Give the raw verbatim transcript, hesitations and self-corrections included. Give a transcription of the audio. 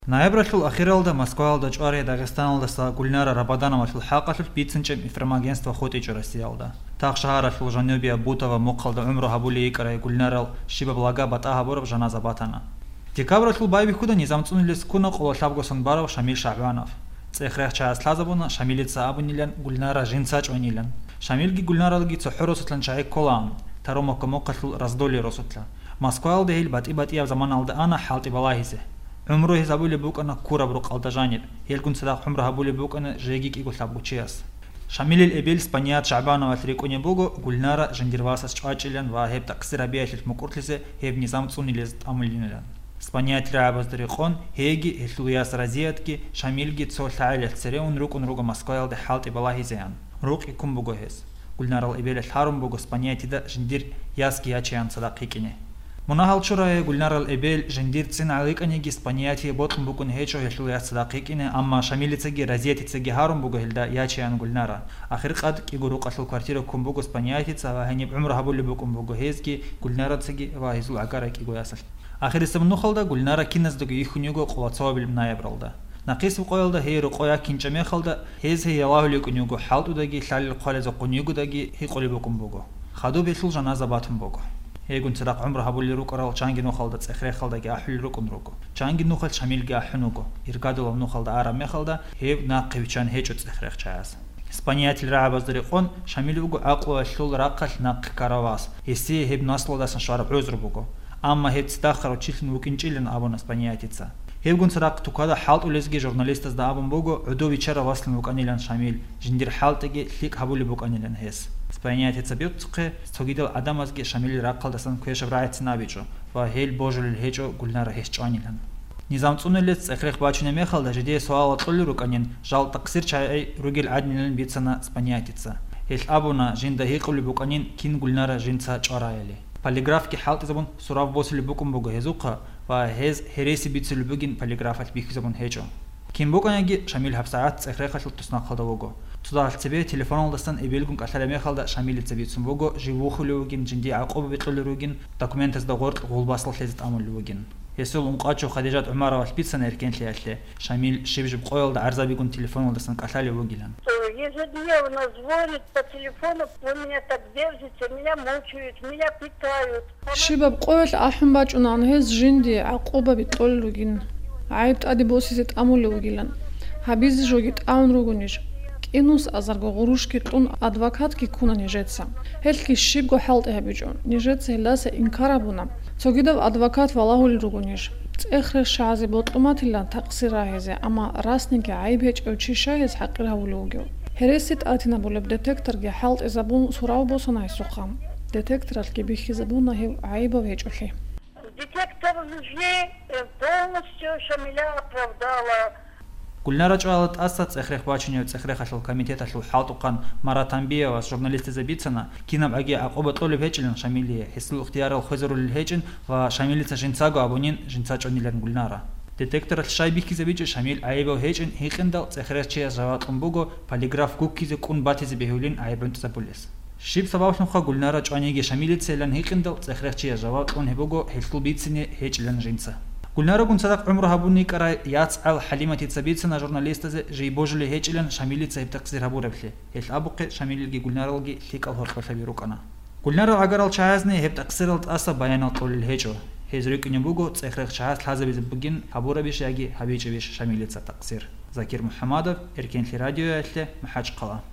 Ноябралъул ахиралда Москваялда чӀварай Дагъистаналдаса Гульнара Рабадановалъул хӀакъалъулъ бицинчӀеб информагентство хутӀичӀо Россиялда. Тахшагьаралъул жанубияб Бутово мухъалда гӀумру гьабулей йикӀарай Гульнарал щибаб лага батӀа гьабураб жаназа батана. Декабралъул байбихьуда низам цӀунулес ккуна къоло лъабго сон барав Шамил ШагӀбанов. ЦӀех-рех чагӀаз лъазабуна Шамилица абунилан Гульнара жинца чӀванилан. Шамилги Гульнаралги цохӀо росулъан чагӀи кколаан, Таромовка мухъалъул Раздолье росулъа. Москваялда гьел батӀи-батӀияб заманалда ана хӀалтӀи балагьизе. ГӀумру гьез абулеб букӀана ккураб рукъалда жаниб, гьелгун цадахъ гӀумру гьабулеб букӀана жеги кӀиго лъабго чияс. Шамилил эбел Спаният ШагӀбановалъ рикӀкӀунеб буго Гульнара жиндир васас чӀвачӀилан ва гьеб такъсир гьабиялъулъ мукӀурлъизе гьеб низам цӀунилез тӀамулинилан. Спаният рагӀабазда рекъон, гьейги, гьелъул яс Разиятги, Шамилги цо лъагӀелалъ цере ун рукӀун руго Москваялде хӀалтӀи балагьизеян. Рукъи ккун буго гьез. Гульнарал эбелалъ гьарун буго Спаниятида жиндир ясги ячеян цадахъ йикӀине. Мунагьал чурай, Гульнарал эбел жиндирцин гӀаликӀаниги Спаниятие бокьун букӀун гьечӀо гьелъул яс цадахъ йикӀине, амма Шамилицаги Разиятицаги гьарун буго гьелда ячеян Гульнара. Ахиркъад кӀиго рукъалъул квартира ккун буго Спаниятица ва гьениб гӀумру гьабулеб букӀун буго гьезги, Гульнарацаги ва гьезул гӀагарай кӀиго ясалъ. Ахирисеб нухалда Гульнара киназдаго йихьун йиго къоло цоабилеб ноябралда. Нахъисеб къоялда гьей рокъой якинчӀеб мехалда, гьез гьей ялагьулев кӀун йиго, хӀалтӀудаги лъалел хъвалезухъун йигодаги гьикъулеб букӀун буго. Хадуб гьелъул жаназа батун буго. Гьейгун цадахъ гӀумру гьабулел рукӀарал чанги нухалда ЦӀех-Рехалдаги ахӀулел рукӀун руго. Чанги нухалъ Шамилги ахӀун вуго. Иргадулаб нухалда араб мехалда гьев нахъе виччан гьечӀо ЦӀех-Рех чагӀаз. Спаниятил рагӀабазда рекъон, Шамил вуго гӀакълуялъул рахъалъ нахъе ккарав вас. Гьесие гьеб наслуялдасан щвараб гӀузру буго. Амма гьеб цӀидахъ руччилъун вукӀинчӀилан абуна Спаниятица. Гьебгун цадахъ тукада хӀалтӀулезги журналистазда абун буго, гӀодов виччарав васлъун вукӀанилан Шамил, жиндир хӀалтӀиги лъикӀ гьабулеб букӀанилан гьес. Спаниятица бицухъе, цогидал гӀадамазги Шамилил рахъалдасан квешаб рагӀицин абичӀо ва гьел божулел гьечӀо Гульнара гьес чӀванилан. Низам цӀунулес ЦӀех-Рех бачунеб мехалда жидее суалал кьолел рукӀанин, жал такъсир чагӀи ругел гӀадинилан бицана Спаниятица. Гьелъ абуна, жинда гьикъулеб букӀанин, кин Гульнара жинца чӀвараяли. Полиграфги хӀалтӀизабун сурав босулеб букӀун буго гьезухъа ва гьез гьереси бицулеб бугин полиграфалъ бихьизабун гьечӀо. Кин букӀаниги, Шамил гьабсагӀат ЦӀех-Рехалъул туснахъалда вуго. Цодагьалъ цебе телефоналдасан эбелгун кӀалъалеб мехалда Шамилица бицун буго, жив вухулев вугин, жиндие гӀакъуба бикьулел ругин, документазда гъоркь гъулбасал лъезе тӀамулев вугин. Гьесул ункъачив Хадижат ГӀумаровалъ бицана эркенлъиялъе, Шамил щиб-жиб къоялда гӀарзабигун телефоналдасан кӀалъалев вугилан. Ежедневно звонит по телефону, вы меня так держите, меня мучают, меня пытают. Щибаб къоялъ ахӀун бачӀунан гьез жинди гӀакъуба бикьулел ругин, гӀайиб тӀаде босизе тӀамулев вугилан. Гьабизе жоги тӀамун ругонищ? КӀинус азарго гъурущги кьун адвокатги ккуна нижеца. Гьелъги щибго хӀалтӀи гьабичӀо, нижеца гьелдаса инкар гьабуна. Цогидаб адвокат валагьулел ругонищ? ЦӀех-Рех чагӀазе бокьулеб батилан такъсир рагьизе, амма расниги гӀайиб гьечӀев чи щай гьез хӀакъир гьавулев вугев? Гьереси тӀатинабулеб детекторги хӀалтӀизабун сурав босана гьесухъа. Детекторалъги бихьизабуна гьев гӀайибав гьечӀолъи. Детектор лжи, э, полностью Шамиля оправдала. Гульнара чӀвала тӀаса ЦӀех-Рех бачунев ЦӀех-Рехалъул комитеталъул хӀалтӀухъан Марат Анбиевас журналистазе бицана, кинаб гӀаги гӀакъуба кьолеб гьечӀилан Шамилие, гьесул ихтиярал хвезарулел гьечӀин ва Шамилица жинцаго абунин жинца чӀванилан Гульнара. Детекторалъ щай бихьизабичӀеб Шамил гӀайибав гьечӀин гьикъиндал ЦӀех-Рех чияс жаваб кьун буго, полиграф гуккизе кӀун батизе бегьулин гӀайиб гӀунтӀизабулес. Щиб сабаблъунха Гульнара чӀваниги Шамилицайилан гьикъиндал ЦӀех-Рех чияс жаваб кьун гьеб буго гьелъул бицине гьечӀилан жинца. Гульнарагун цадахъ гӀумру гьабун йикӀарай яц гӀал ХӀалиматица бицана журналистазе жий божулей гьечӀилан Шамилица гьеб такъсир гьабурабли. Гьелъ абухъе Шамилилги Гульнаралги лъикӀал гьоркьолъаби рукӀана. Гульнарал гӀагарал чагӀазни гьеб такъсирал тӀаса баянал кьолел гьечӀо. Гьез рикӀкӀунеб буго ЦӀех-Рех чагӀаз лъазабизе бугин гьабурабищ яги гьабичӀебищ Шамилица такъсир. Закир МухӀамадов, Эркенлъи радиоялъе, МахӀачхъала.